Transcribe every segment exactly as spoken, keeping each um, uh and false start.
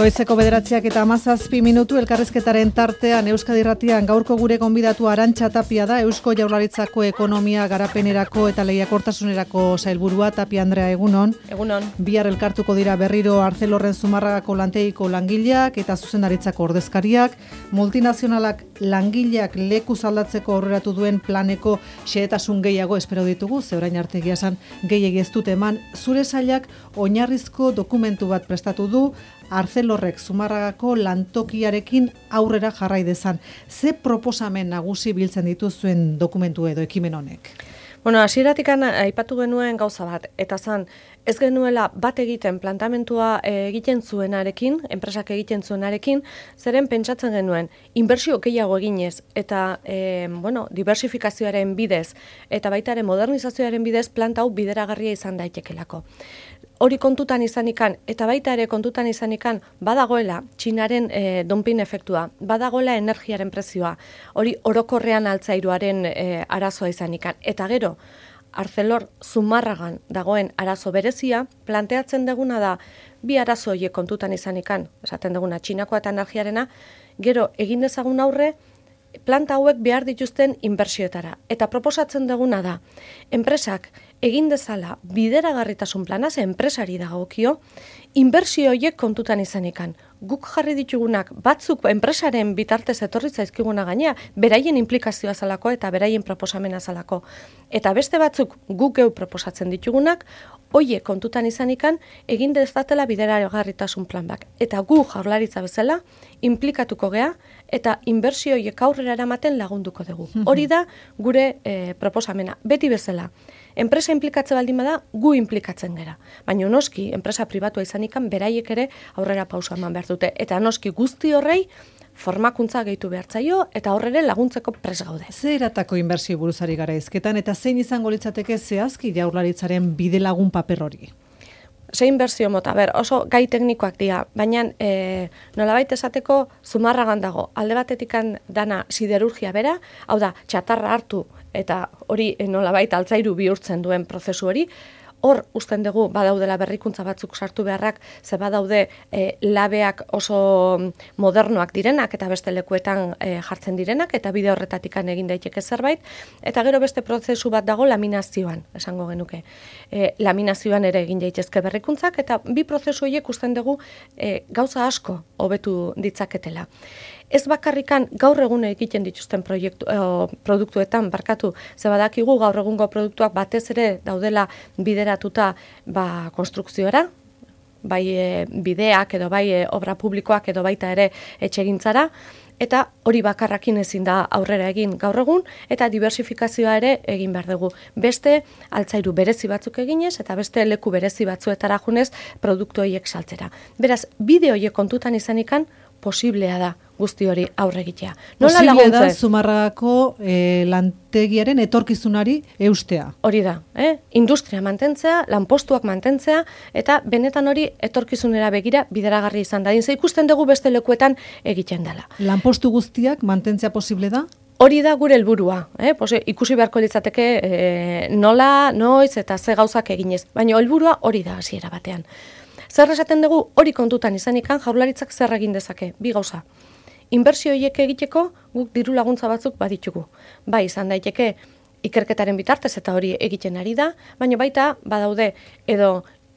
Goizeko bederatziak eta hamazazpi minutu elkarrizketaren tartean Euskadi Irratian gaurko gure gonbidatu Arantxa Tapia da, Eusko Jaurlaritzako ekonomia garapenerako eta lehiakortasunerako sailburua. Tapia Andrea, egunon. Egunon. Bihar elkartuko dira berriro Arcelorren Zumarragako lantegiko langileak eta zuzendaritzako ordezkariak. Multinazionalak langileak leku aldatzeko aurreratu duen planeko xehetasun gehiago espero ditugu, ze orain arte egia esan gehiegi ez dute eman. Zure sailak oinarrizko dokumentu bat prestatu du, Arcelorrek Zumarragako lantokiarekin aurrera jarrai dezan. Ze proposamen nagusi biltzen dituzuen dokumentu edo ekimen honek? Bueno, hasieratik aipatu genuen gauza bat, eta zan, ez genuela bat egiten plantamentua egiten zuenarekin, enpresak egiten zuenarekin, zeren pentsatzen genuen, inbertsio gehiago eginez, eta e, bueno, diversifikazioaren bidez, eta baita ere modernizazioaren bidez, planta hau bideragarria izan daitekelako. Hori kontutan izanikan, eta baita ere kontutan izanikan, badagoela Txinaren e, dumping efektua, badagoela energiaren prezioa, hori orokorrean altzairuaren e, arazoa izanikan. Eta gero, Arcelor Zumarragan dagoen arazo berezia, planteatzen deguna da, bi arazo horiek kontutan izanikan, esaten deguna Txinakoa eta energiarena, gero egin dezagun aurre, planta hauek behar dituzten inbertsioetara. Eta proposatzen deguna da, enpresak egin dezala bideragarritasun plana, ze enpresari dagokio, inbertsio horiek kontutan izanikan. Guk jarri ditugunak batzuk enpresaren bitartez etorri zaizkiguna gainea, beraien implikazioa zalako eta beraien proposamena zalako. Eta beste batzuk guk geu proposatzen ditugunak, hoiek kontutan izanikan egin dezatela bideragarritasun plan bak. Eta gu Jaurlaritza bezala implikatuko gea eta inbertsio horiek aurrera eramaten lagunduko dugu. Hori da gure e, proposamena. Beti bezala. Enpresa implikatze baldin bada, gu implikatzen gera. Baina noski, enpresa pribatua izanikan, beraiek ere aurrera pausa eman behar dute. Eta noski guzti horrei, formakuntza gehitu behartzaio eta horrere laguntzeko pres gaude. Ze eratako inbertsio buruzari gara izketan eta zein izango litzateke zehazki Jaurlaritzaren bidelagun paper hori? Ze inbertsio mota, ber, oso gai teknikoak dira, baina e, nolabait esateko Zumarragan dago, alde batetikan dana siderurgia bera, hau da, txatarra hartu eta hori e, nolabait altzairu bihurtzen duen prozesu hori, hor usten dugu badaudela berrikuntza batzuk sartu beharrak, ze badaude e, labeak oso modernoak direnak eta beste lekuetan e, jartzen direnak eta bide horretatikan egin daiteke zerbait, eta gero beste prozesu bat dago laminazioan, esango genuke. E, laminazioan ere egin daitezke berrikuntzak eta bi prozesu horiek usten dugu e, gauza asko hobetu ditzaketela. Ez bakarrikan gaur egun egiten dituzten proiektu, eh, produktuetan barkatu, ze badakigu gaur egungo produktuak batez ere daudela bideratuta ba, konstrukzioara, bai e, bideak edo bai e, obra publikoak edo baita ere etxegintzara, eta hori bakarrakin ezin da aurrera egin gaur egun, eta diversifikazioa ere egin behar dugu. Beste altzairu berezi batzuk eginez, eta beste leku berezi batzuetara junez produktu horiek saltzera. Beraz, bide horiek kontutan izanikan, posiblea da guzti hori aurre egitea. Nola Posiblea laguntze? da Zumarragako e, lantegiaren etorkizunari eustea. Hori da, eh? Industria mantentzea, lanpostuak mantentzea, eta benetan hori etorkizunera begira bideragarri izan da. Ze ikusten dugu beste lekuetan egiten dela. Lanpostu guztiak mantentzea posible da? Hori da gure helburua, eh? Pose, ikusi beharko litzateke eh, nola, noiz eta ze gauzak eginez. Baina helburua hori da hasiera batean. Zer esaten dugu hori kontutan izanikan Jaurlaritzak zer egin dezake, bi gauza. Inbertsio horiek egiteko guk diru laguntza batzuk baditugu. Bai, izan daiteke ikerketaren bitartez eta hori egiten ari da, baina baita badaude edo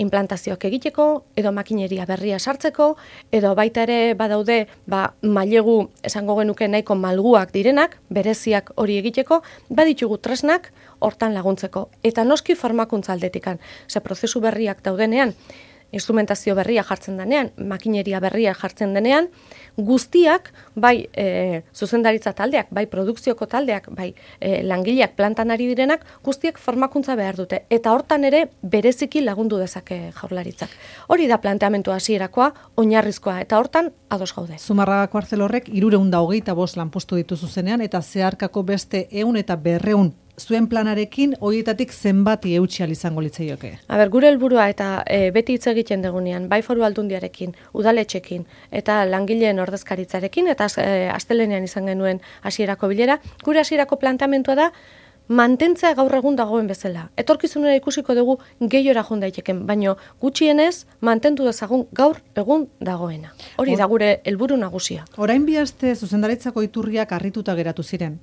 implantazioak egiteko, edo makineria berria sartzeko, edo baita ere badaude ba, mailegu esango genuke nahiko malguak direnak, bereziak hori egiteko, baditugu tresnak hortan laguntzeko. Eta noski formakuntza aldetikan, ze prozesu berriak daudenean, instrumentazio berria jartzen denean, makineria berria jartzen denean, guztiak, bai e, zuzendaritza taldeak, bai produkzioko taldeak, bai e, langileak plantan ari direnak, guztiak formakuntza behar dute. Eta hortan ere bereziki lagundu dezake Jaurlaritzak. Hori da planteamendu hasierakoa, oinarrizkoa, eta hortan ados gaude. Zumarragako Arcelorrek hirurehun eta hogeita bost lanpostu ditu zuzenean, eta zeharkako beste ehun eta berrehun zuen planarekin horietatik zenbati eutsi izango litzaioke? A ber, gure helburua eta e, beti hitz egiten degunean, bai Foru Aldundiarekin, udaletxekin eta langileen ordezkaritzarekin eta e, astelenean izan genuen hasierako bilera, gure hasierako planteamentua da mantentzea gaur egun dagoen bezala. Etorkizunera ikusiko dugu gehiora joan daiteken, baino gutxienez mantendu dezagun gaur egun dagoena. Hori da gure helburu nagusia. Orain bi aste zuzendaritzako iturriak harrituta geratu ziren.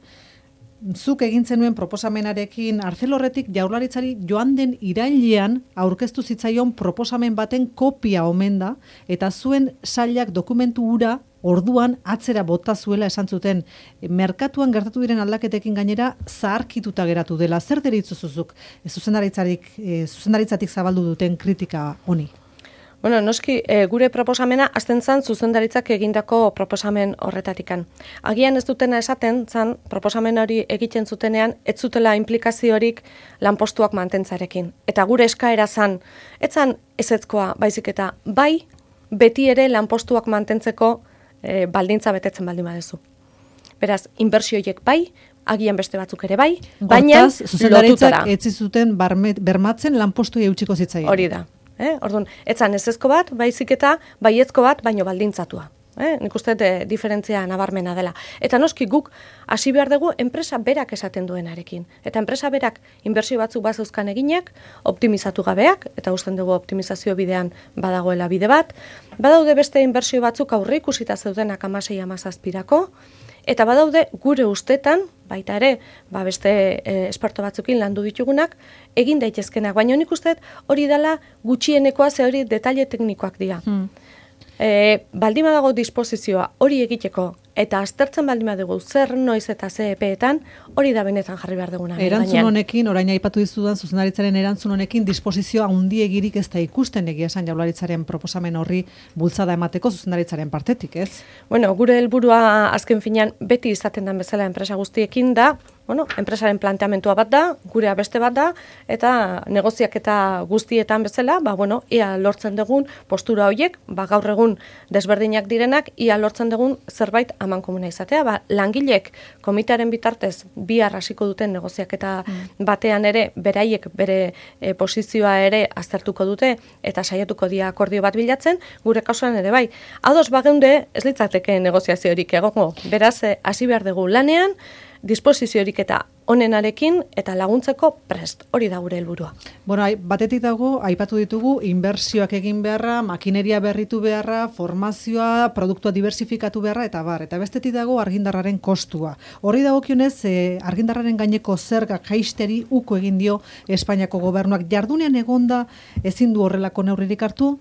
Zuk egin zenuen proposamenarekin Arcelorretik Jaurlaritzari joan den irailean aurkeztu zitzaion proposamen baten kopia omen da, eta zuen sailak dokumentu hura orduan atzera bota zuela esan zuten. Merkatuan gertatu diren aldaketekin gainera zaharkituta geratu dela. Zer deritzu zuzuk zuzendaritzarik, e, zuzendaritzatik zabaldu duten kritika honi? Bueno, noski, e, gure proposamena azten zan zuzendaritzak egindako proposamen horretatikan. Agian ez dutena esaten zan proposamen hori egiten zutenean ez zutela implikaziorik lanpostuak mantentzarekin. Eta gure eskaera zan, ez zan ezetzkoa baizik eta bai beti ere lanpostuak mantentzeko e, baldintza betetzen baldin badezu. Beraz, inbertsioiek bai, agian beste batzuk ere bai, baina Hortaz, zuzendaritzak ez zuten bermatzen lanpostuei eutsiko zitzaien. Hori da. Eh? Orduan, etzan ezezko bat, baizik eta baiezko bat, baino baldintzatua. Eh? Nik uste de diferentzia nabarmena dela. Eta noski guk hasi behar dugu enpresa berak esaten duenarekin. Eta enpresa berak inbertsio batzuk bazeuzkan eginak, optimizatu gabeak, eta usten dugu optimizazio bidean badagoela bide bat. Badaude beste inbertsio batzuk aurre ikusita zeudenak hamasei hamazazpirako, eta badaude gure ustetan, baita ere, ba beste e, esperto batzukin landu ditugunak, egin daitezkenak. Baina nik uste hori dela gutxienekoa, ze hori detaile teknikoak dira. Hmm. E, baldin badago disposizioa hori egiteko, eta aztertzen baldin badugu zer noiz eta ze epeetan, hori da benetan jarri behar duguna. Erantzun honekin, orain aipatu dizudan zuzendaritzaren erantzun honekin, disposizioa handiegirik ez da ikusten egia esan Jaurlaritzaren proposamen horri bultzada emateko zuzendaritzaren partetik, ez? Bueno, gure helburua azken finean beti izaten den bezala enpresa guztiekin da, bueno, enpresaren planteamentua bat da, gurea beste bat da, eta negoziak eta guztietan bezala, ba, bueno, ia lortzen dugun postura horiek, ba, gaur egun desberdinak direnak, ia lortzen dugun zerbait aman komuna izatea, ba, langilek komitearen bitartez bihar hasiko duten negoziak eta mm. batean ere, beraiek bere e, posizioa ere aztertuko dute, eta saiatuko dia akordio bat bilatzen, gure kasuan ere bai. Ados bageunde, ez litzateke negoziaziorik egongo, beraz, hasi behar dugu lanean, disposiziorik eta onenarekin eta laguntzeko prest. Hori da gure helburua. Bueno, batetik dago, aipatu ditugu, inbertsioak egin beharra, makineria berritu beharra, formazioa, produktua diversifikatu beharra, eta bar. Eta bestetik dago argindarraren kostua. Horri dagokionez, eh, argindarraren gaineko zergak jaisteri uko egin dio Espainiako gobernuak. Jardunean egonda ezin du horrelako neurririk hartu?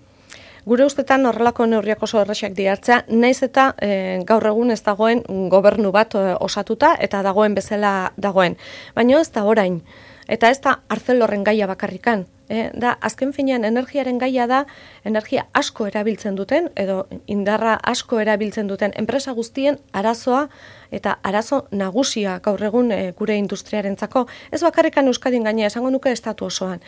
Gure ustetan horrelako neurriak oso erresak dihartzea, naiz eta e, gaur egun ez dagoen gobernu bat e, osatuta eta dagoen bezala dagoen. Baina ez da orain, eta ez da Arcelorren gaia bakarrikan. E, da, azken finean energiaren gaia da, energia asko erabiltzen duten, edo indarra asko erabiltzen duten enpresa guztien arazoa eta arazo nagusia gaur egun e, gure industriarentzako. Ez bakarrikan Euskadin gainea, esango nuke estatu osoan.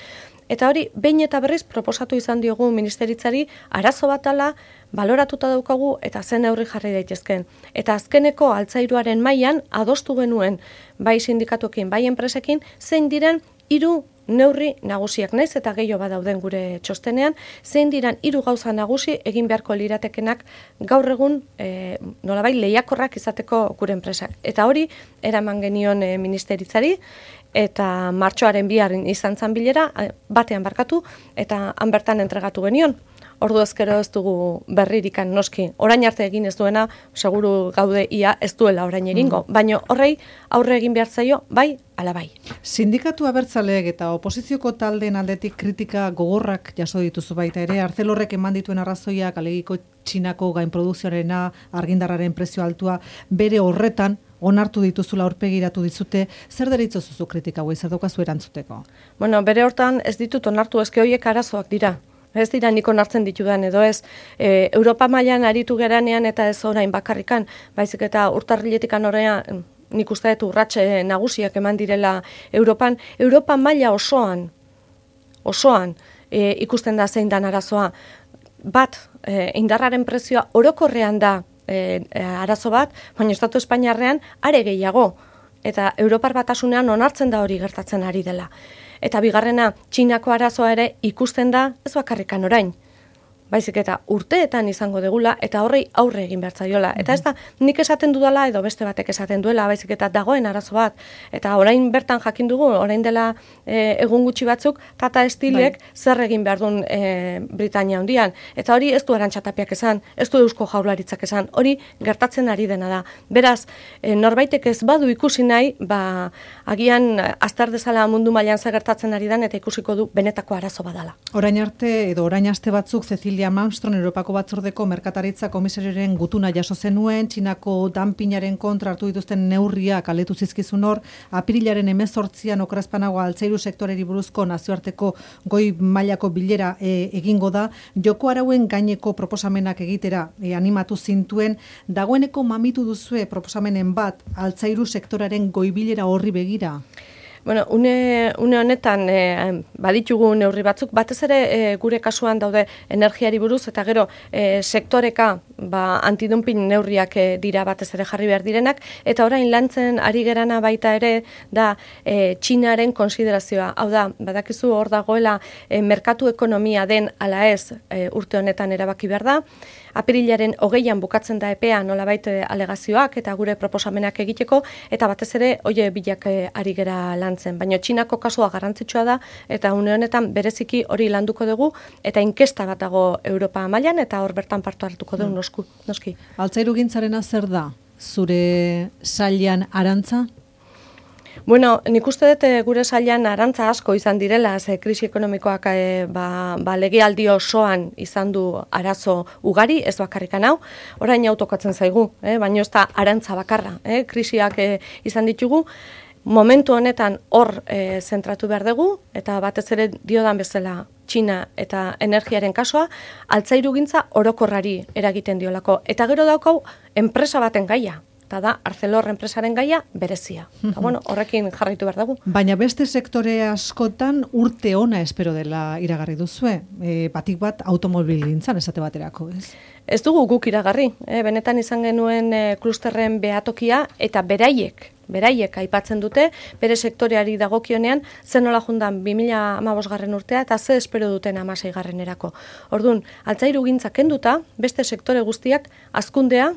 Eta hori, behin eta berriz proposatu izan diogu ministeritzari arazo bat ala, baloratuta daukagu eta zen neurri jarri daitezken. Eta azkeneko altzairuaren mailan adostu genuen bai sindikatuekin, bai enpresekin, zein diren hiru neurri nagusiak, naiz eta gehiago badauden gure txostenean, zein diran hiru gauza nagusi egin beharko liratekenak gaur egun e, nolabait lehiakorrak izateko gure enpresak. Eta hori eraman genion e, ministeritzari, eta martxoaren biharren izan zan bilera, batean barkatu, eta han bertan entregatu genion. Ordu ezkero ez dugu berririkan noski. Orain arte egin ez duena, seguru gaude ia ez duela orain egingo. Mm. Baina horrei aurre egin behar zaio, bai, ala bai. Sindikatu abertzaleek eta oposizioko taldeen aldetik kritika gogorrak jaso dituzu baita ere, Arcelorrek eman dituen arrazoiak, alegiko Txinako gainprodukzioarena, argindarraren prezio altua, bere horretan, onartu dituzula aurpegiratu dizute, zer deritzo zuzu kritika hauei, zer daukazu erantzuteko? Bueno, bere hortan ez ditut onartu, eske horiek arazoak dira. Ez dira nik onartzen ditudan edo ez. E, Europa mailan aritu geranean eta ez orain bakarrikan, baizik eta urtarriletikan orain nik uste dut urratxe nagusiak eman direla Europan. Europa maila osoan, osoan e, ikusten da zein dan arazoa. Bat, e, indarraren prezioa orokorrean da E, e, arazo bat, baina Estatu Espainiarrean are gehiago. Eta Europar Batasunean onartzen da hori gertatzen ari dela. Eta bigarrena, Txinako arazoa ere ikusten da, ez bakarrikan orain. baizik eta urteetan izango degula eta horrei aurre egin behar zaiola. Eta ez da nik esaten dudala edo beste batek esaten duela, baizik eta dagoen arazo bat. Eta orain bertan jakin dugu, orain dela e, egun gutxi batzuk, Tata Steelek bai. zer egin behar duen e, Britania hundian. Eta hori ez du Arantxa Tapiak esan, ez du Eusko Jaurlaritzak esan, hori gertatzen ari dena da. Beraz, e, norbaitek ez badu ikusi nahi, ba, agian azter dezala mundu mailan zer gertatzen ari den eta ikusiko du benetako arazo badala. Orain arte edo orain aste batzuk Cecilia Malmström Europako Batzordeko Merkataritza Komisarioaren gutuna jaso zenuen, Txinako dumpingaren kontra hartu dituzten neurriak aletu zizkizun hor, apirilaren hemezortzian okerazpanago altzairu sektoreri buruzko nazioarteko goi mailako bilera e, egingo da, joko arauen gaineko proposamenak egitera e, animatu zintuen, dagoeneko mamitu duzue proposamenen bat altzairu sektoraren goi bilera horri begira? Bueno, une, une honetan e, baditugu neurri batzuk, batez ere e, gure kasuan daude energiari buruz, eta gero e, sektoreka ba, antidumping neurriak e, dira batez ere jarri behar direnak, eta orain lantzen ari gerana baita ere da e, Txinaren konsiderazioa. Hau da, badakizu hor dagoela e, merkatu ekonomia den ala ez e, urte honetan erabaki behar da, apirilaren hogeian bukatzen da epea nolabait alegazioak eta gure proposamenak egiteko, eta batez ere oie bilak e, ari gera lantzen. Baina Txinako kasua garrantzitsua da, eta une honetan bereziki hori landuko dugu, eta inkesta bat dago Europa mailan eta hor bertan partu hartuko dugu nosku, noski. Altzairu gintzarena zer da? Zure sailean arantza? Bueno, nik uste dut gure sailean arantza asko izan direla, ze krisi ekonomikoak e, ba, ba, legealdi osoan izan du arazo ugari, ez bakarrikan hau, orain autokatzen zaigu, eh? Baina ez da arantza bakarra, eh? Krisiak e, izan ditugu, momentu honetan hor e, zentratu behar dugu, eta batez ere diodan bezala Txina eta energiaren kasua, altzairugintza orokorrari eragiten diolako. Eta gero daukau, enpresa baten gaia. Eta da, Arcelor enpresaren gaia berezia. Eta, bueno, horrekin jarraitu behar dugu. Baina beste sektore askotan urte ona espero dela iragarri duzue. E, batik bat automobilgintzan esate baterako, ez? Ez dugu guk iragarri. E, benetan izan genuen e, klusterren behatokia eta beraiek, beraiek aipatzen dute, bere sektoreari dagokionean, zen nola jundan bi mila hamabosgarren urtea eta ze espero duten hamaseigarrenerako. Orduan, altzairugintza kenduta, beste sektore guztiak hazkundea,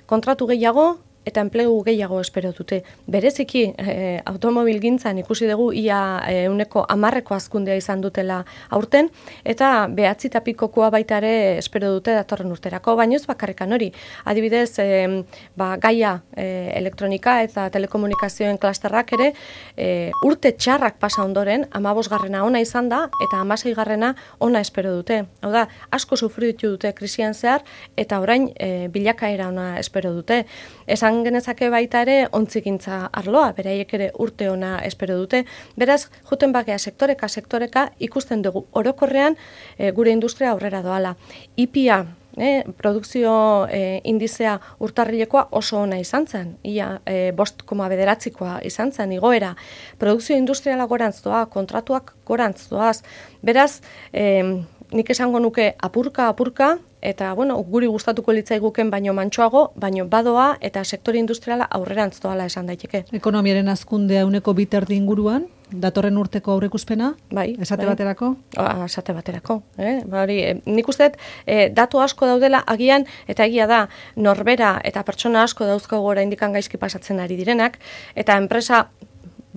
kontratu gehiago, eta enplegu gehiago espero dute. Bereziki, e, automobilgintzan ikusi dugu ia ehuneko hamarreko hazkundea izan dutela aurten, eta behatzi eta pikokoa baita ere espero dute datorren urterako, baina ez bakarrekan hori. Adibidez, e, ba, gaia e, elektronika eta telekomunikazioen klasterrak ere, e, urte txarrak pasa ondoren, hamabosgarrena ona izan da, eta hamaseigarrena ona espero dute. Hau da, asko sufritu dute krisian zehar, eta orain e, bilakaera ona espero dute. Esan genezake baita ere ontzigintza arloa, beraiek ere urte ona espero dute. Beraz, juten bakea sektoreka, sektoreka ikusten dugu orokorrean e, gure industria aurrera doala. I P A, e, produkzio e, indizea urtarrilekoa oso ona izan zen, ia e, bost koma bederatzikoa izan zen, igoera. Produkzio industriala gorantz doa, kontratuak gorantz doaz. Beraz, e, nik esango nuke apurka, apurka, eta, bueno, guri gustatuko litzaiguken baino mantsoago, baino badoa eta sektore industriala aurrerantz doala esan daiteke. Ekonomiaren hazkundea ehuneko bi terdi inguruan, datorren urteko aurreikuspena? Bai. Esate bai. baterako? Ah, esate baterako. Eh? Bari, eh, nik uste dut, eh, datu asko daudela agian, eta egia da, norbera eta pertsona asko dauzkago oraindik gaizki pasatzen ari direnak, eta enpresa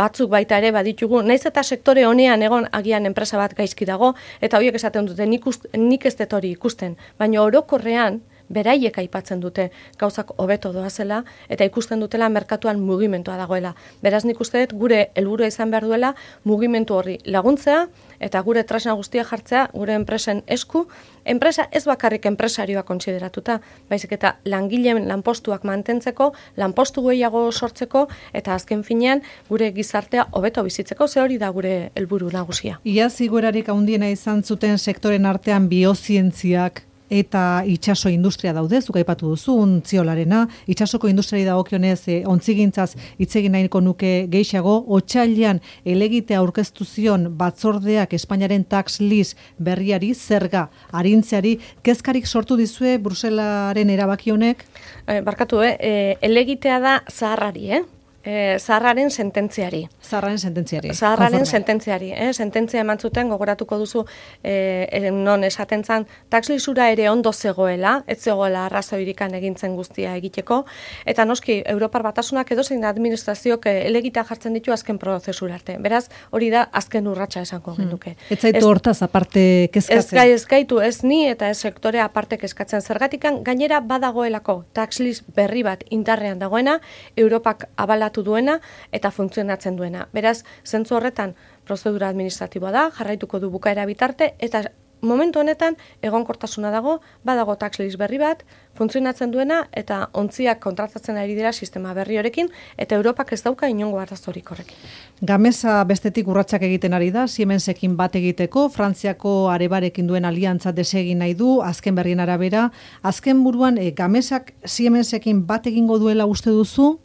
batzuk baita ere baditugu, naiz eta sektore honean egon agian enpresa bat gaizki dago, eta horiek esaten dute nik, ust, nik ez dut hori ikusten, baina orokorrean beraiek aipatzen dute gauzak hobeto doazela eta ikusten dutela merkatuan mugimentua dagoela. Beraz nik uste dut gure helburua izan behar duela mugimentu horri laguntzea eta gure tresna guztia jartzea gure enpresen esku, enpresa ez bakarrik enpresarioa kontsideratuta, baizik eta langileen lanpostuak mantentzeko, lanpostu gehiago sortzeko eta azken finean gure gizartea hobeto bizitzeko, ze hori da gure helburu nagusia. Iaz igoerarik handiena izan zuten sektoren artean biozientziak eta itxaso industria daude, zuk aipatu duzu, ontziolarena, itxasoko industriari dagokionez e, ontzigintzaz hitz egin nahiko nuke gehiago, otsailean elegitea aurkeztu zion batzordeak Espainiaren tax list berriari zerga arintzeari, kezkarik sortu dizue Bruselaren erabaki honek? E, barkatu, eh? E, elegitea da zaharrari, eh? E, zaharraren sententziari. Zaharraren sententziari. Zaharraren sententziari. Eh? Sententzia eman zuten, gogoratuko duzu, e, non esaten zan, taxlisura ere ondo zegoela, ez zegoela arrazoirikan egintzen guztia egiteko, eta noski, Europar Batasunak edozein administraziok elegita jartzen ditu azken prozesura arte. Beraz, hori da azken urratsa esango genuke. Hmm. Ez zaitu hortaz aparte kezkatzen? Ez, ez gaitu, ez ni eta ez sektore aparte kezkatzen. Zergatikan, gainera badagoelako taxlis berri bat indarrean dagoena, Europak abala duena eta funtzionatzen duena. Beraz, zentzu horretan prozedura administratiboa da, jarraituko du bukaera bitarte, eta momentu honetan egonkortasuna dago, badago tax list berri bat, funtzionatzen duena, eta ontziak kontratatzen ari dira sistema berri horekin, eta Europak ez dauka inongo arazorik horrekin. Gamesa bestetik urratsak egiten ari da, Siemensekin bat egiteko, Frantziako Arebarekin duen aliantza desegin nahi du, azken berrien arabera. Azken buruan, e, Gamesak Siemensekin bat egingo duela uste duzu?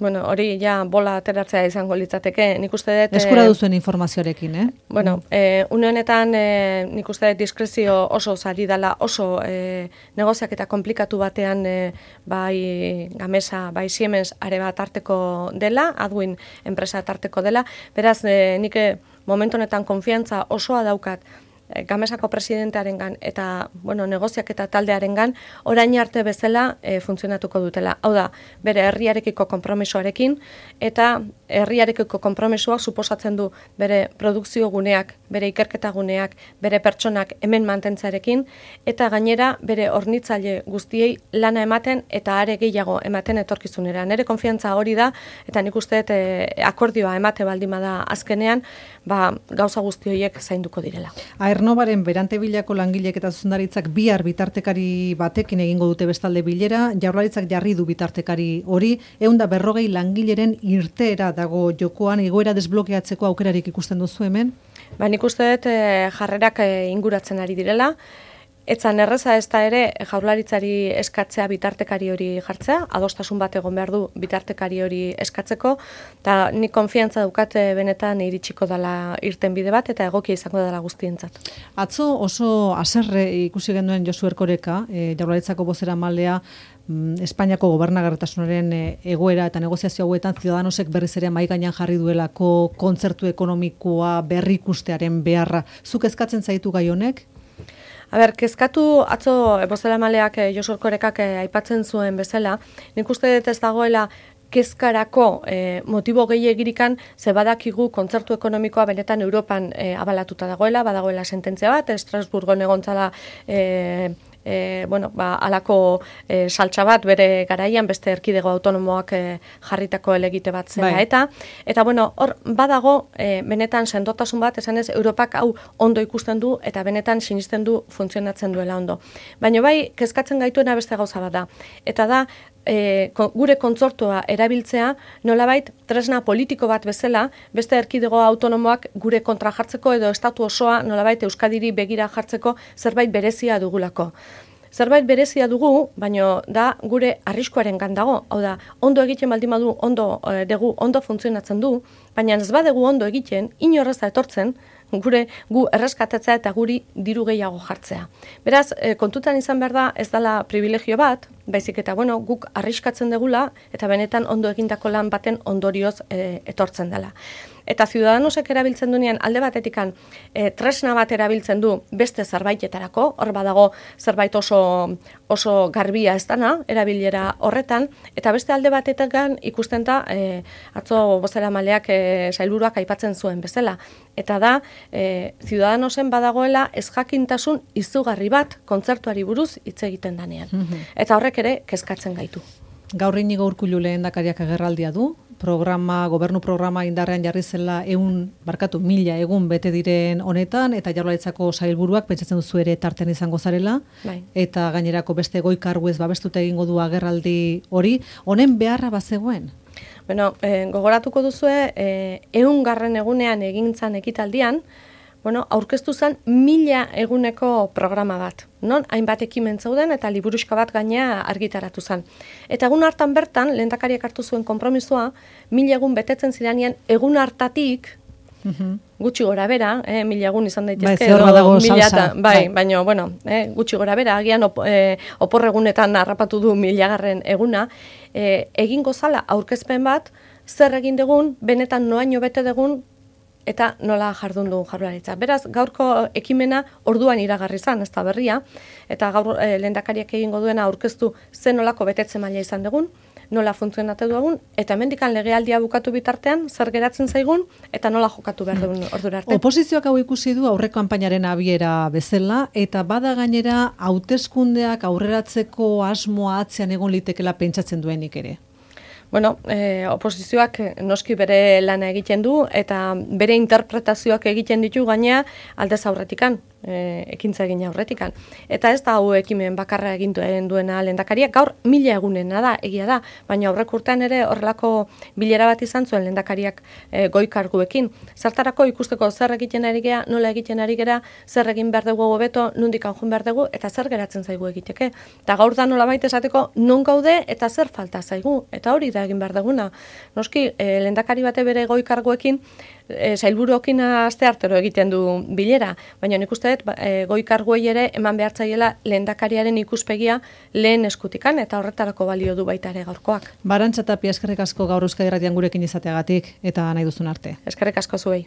Bueno, hori ja bola ateratzea izango litzateke, nik uste dut... Eskura duzuen informazioarekin, eh? Bueno, eh, une honetan eh, nik uste dut diskrezio oso zari dela, oso eh, negoziak eta komplikatu batean eh, bai Gamesa, bai Siemens Areba tarteko dela, Adwin enpresa tarteko dela, beraz eh, nik eh, momentu honetan konfiantza osoa daukat Gamesako presidentearengan eta bueno, negoziak eta taldearengan orain arte bezala e, funtzionatuko dutela. Hau da, bere herriarekiko konpromisoarekin eta herriarekiko konpromisoak suposatzen du bere produkzio guneak, bere ikerketa guneak, bere pertsonak hemen mantentzarekin eta gainera bere hornitzaile guztiei lana ematen eta are gehiago ematen etorkizunera. Nere konfiantza hori da eta nik uste dut e, akordioa emate baldin bada azkenean, ba, gauza guzti horiek zainduko direla. Aernnovaren Berantebilako langileek eta zuzendaritzak bihar bitartekari batekin egingo dute bestalde bilera, Jaurlaritzak jarri du bitartekari hori, ehun eta berrogei langileren irteera dago jokoan, egoera desblokeatzeko aukerarik ikusten duzu hemen? Ba, nik uste dut e, jarrerak e, inguratzen ari direla. Etzan erreza ez da ere Jaurlaritzari eskatzea bitartekari hori jartzea, adostasun bat egon behar du bitartekari hori eskatzeko, eta nik konfiantza dukate benetan iritsiko dela irten bide bat, eta egokia izango dela guztientzat. Atzo oso haserre ikusi genuen Josu Erkoreka, e, Jaurlaritzako bozeramalea, Espainiako gobernagarritasunaren egoera eta negoziazio hauetan Ciudadanosek berriz ere mahai gainean jarri duelako kontzertu ekonomikoa berrikustearen beharra. Zuk eskatzen zaitu gai honek? A ber, kezkatu atzo bozeramaleak Josu Erkorekak aipatzen zuen bezala, nik uste dut ez dagoela kezkarako e, motibo gehiagirikan ze badakigu kontzertu ekonomikoa benetan Europan e, abalatuta dagoela, badagoela sententzia bat, Estrasburgon egontzala e, E, bueno, ba, alako e, saltsa bat bere garaian beste erkidego autonomoak e, jarritako elegite bat zela bai. eta eta bueno, hor badago e, benetan sendotasun bat, esanez Europak hau ondo ikusten du eta benetan sinisten du funtzionatzen duela ondo. Baina bai, kezkatzen gaituena beste gauza bat da. Eta da E, gure kontzortua erabiltzea nolabait tresna politiko bat bezala beste erkidego autonomoak gure kontra jartzeko edo estatu osoa nolabait Euskadiri begira jartzeko zerbait berezia dugulako. Zerbait berezia dugu, baino da gure arriskuaren gandago. Hau da, ondo egiten baldin badu, ondo e, dugu, ondo funtzionatzen du, baina ez badegu ondo egiten, inorrez da etortzen, gure gu erreskatetzea eta guri diru gehiago jartzea. Beraz, e, kontutan izan behar da ez dela privilegio bat, baizik eta bueno, guk arriskatzen degula eta benetan ondo egindako lan baten ondorioz e, etortzen dela. Eta Ciudadanosek erabiltzen duenean alde batetikan e, tresna bat erabiltzen du beste zerbaitetarako, hor badago zerbait oso, oso garbia ez dana, erabilera horretan, eta beste alde batetikan ikusten da e, atzo bozeramaleak e, sailburuak aipatzen zuen bezala. Eta da, e, Ciudadanosen badagoela ez jakintasun izugarri bat kontzertuari buruz hitz egiten danean. Eta horrek ere kezkatzen gaitu. Gaur Inigo Urkullu lehendakariak agerraldia du, programa, gobernu programa indarrean jarri zela ehun, barkatu, mila egun bete diren honetan, eta Jaurlaritzako sailburuak pentsatzen duzu ere tartean izango zarela, bai. Eta gainerako beste goi karguez babestuta egingo du agerraldi hori, honen beharra bazegoen? Bueno, eh, gogoratuko duzue, eh, ehun garren egunean egintzan ekitaldian, bueno, aurkeztu zen mila eguneko programa bat. Non, hainbat ekimen zeuden eta liburuxka bat gaina argitaratu zen. Eta egun hartan bertan, lehendakariak hartu zuen konpromisoa, mila egun betetzen ziranean, egun hartatik Mhm. Gutxi gora bera, eh, mila egun izan Bai, daitezke, ze hor badago mila salsa. eta- bai, Bai. baina, bueno, eh, gutxi gora bera, agian op, eh, oporregunetan harrapatu du milagarren eguna, eh, egingo zala aurkezpen bat, zer egin dugun, benetan noaino bete dugun, eta nola jardun du Jaurlaritza. Beraz, gaurko ekimena orduan iragarri izan, ez da berria, eta gaur eh, lehendakariak egingo duena aurkeztu zen nolako betetze maila izan dugun, nola funtzionatu dugun, eta hemendikan legealdia bukatu bitartean, zer geratzen zaigun, eta nola jokatu behar dugun ordura arte. Oposizioak hau ikusi du aurreko kanpainaren abiera bezala, eta bada gainera hauteskundeak aurreratzeko asmoa atzean egon litekela pentsatzen duenik ere. Bueno, eh, oposizioak noski bere lana egiten du, eta bere interpretazioak egiten ditu gainea aldez aurretikan, e, ekintza egin aurretikan. Eta ez da hau ekimen bakarra egin duen duena lehendakariak, gaur mila egunena da, egia da, baina aurrek urtean ere horrelako bilera bat izan zuen lehendakariak e, goi karguekin. Zertarako ikusteko zer egiten ari gera, nola egiten ari gera, zer egin behar dugu hobeto, nondik joan behar dugu, eta zer geratzen zaigu egiteke. Eta gaur da nolabait esateko non gaude eta zer falta zaigu, eta hori da egin behar duguna. Noski, e, lehendakari bate bere goi karguekin, e, sailburuokin aste artero egiten du bilera, baina nik uste dut e, goi karguei ere eman behartzaiela lehendakariaren ikuspegia lehen eskutikan, eta horretarako balio du baita ere gaurkoak. Arantxa Tapia, eskerrik asko gaur Euskadi Irratian gurekin izateagatik eta nahi duzun arte. Eskerrik asko zuei.